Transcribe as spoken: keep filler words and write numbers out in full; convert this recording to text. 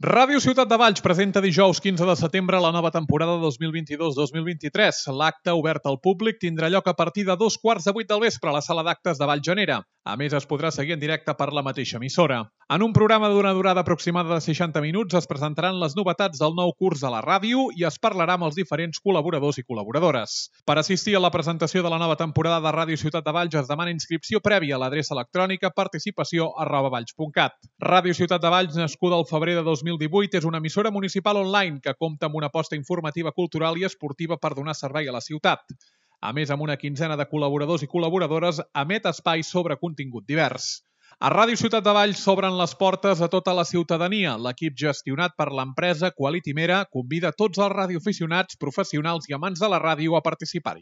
Ràdio Ciutat de Valls presenta dijous quinze de setembre la nova temporada dos mil vint-i-dos dos mil vint-i-tres. L'acte, obert al públic, tindrà lloc a partir de dos quarts de vuit del vespre a la sala d'actes de Vallgenera. A més, es podrà seguir en directe per la mateixa emissora. En un programa d'una durada aproximada de seixanta minuts es presentaran les novetats del nou curs a la ràdio i es parlarà amb els diferents col·laboradors i col·laboradores. Per assistir a la presentació de la nova temporada de Ràdio Ciutat de Valls es demana inscripció prèvia a l'adreça electrònica participació arroba valls punt cat. Ràdio Ciutat de Valls, nascuda al febrer de dos mil divuit, és una emissora municipal online que compta amb una aposta informativa, cultural i esportiva per donar servei a la ciutat. A més, amb una quinzena de col·laboradors i col·laboradores, emet espais sobre contingut divers. A Ràdio Ciutat de Valls s'obren les portes a tota la ciutadania. L'equip gestionat per l'empresa Quality Mera convida tots els radioaficionats, professionals i amants de la ràdio a participar-hi.